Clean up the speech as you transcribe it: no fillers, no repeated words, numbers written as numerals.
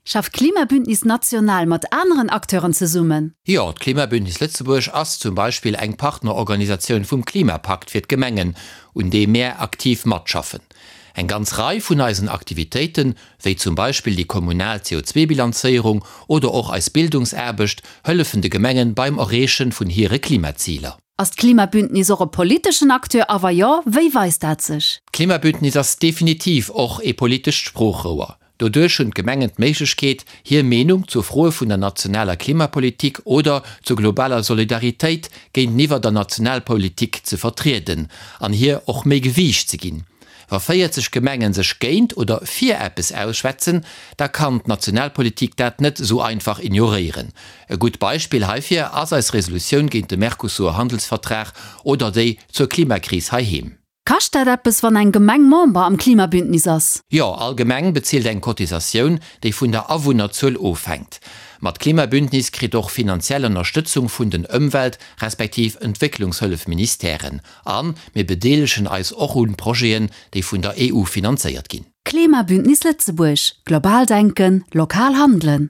Schafft d'Klimabündnis national mat aneren Acteuren zesummen? Jo, d'Klimabündnis Lëtzebuerg ass zum Beispill eng Partnerorganisatioun vum Klimapakt fir d'Gemengen, un deem mär aktiv matschaffen. Eng ganz Rei vun eisen Aktivitéiten, wéi zum Beispill déi kommunal CO2-Bilanzéierung oder och eis Bildungsaarbecht, hëllefen de Gemengen beim Erreeche vun hire Klimaziler. Ass d'Klimabündnis och e politeschen Acteur a wa jo, wéi weist dat sech? D'Klimabündnis ass definitiv och ee politescht Sproochrouer. Doduerch hunn d'Gemengen d'Méiglechkeet, hir Meenung zu Froe vun der nationaler Klimapolitik oder zur globaler Solidaritéit géinteniwwer der Nationalpolitik ze vertrieden an hir och méi Gewiicht ze ginn. Wa 40 Gemengen sech géint oder fir eppes ausschwätzen, da kann d'Nationalpolitik dat net esou einfach ignoréieren. E gutt Beispill heifir ass eis Resolutioun géint de Mercosur-Handelsvertrag oder déi zur Klimakris heiheem. Kascht dat eppes, wann eng Gemeng Member am Klimabündnis ass? Jo, all Gemeng bezilt eng Cotisatioun, déi vun der Awunnerzuel ofhänkt. Ma d'Klimabündnis kritt och finanziell Ënnerstëtzung vun den Ëmwelt respektiv Entwécklungshëllefministèren. A mir bedeelegen eis och un Projeten, déi vun der EU finanzéiert ginn. Klimabündnis Lëtzebuerg, Global denken, lokal handelen!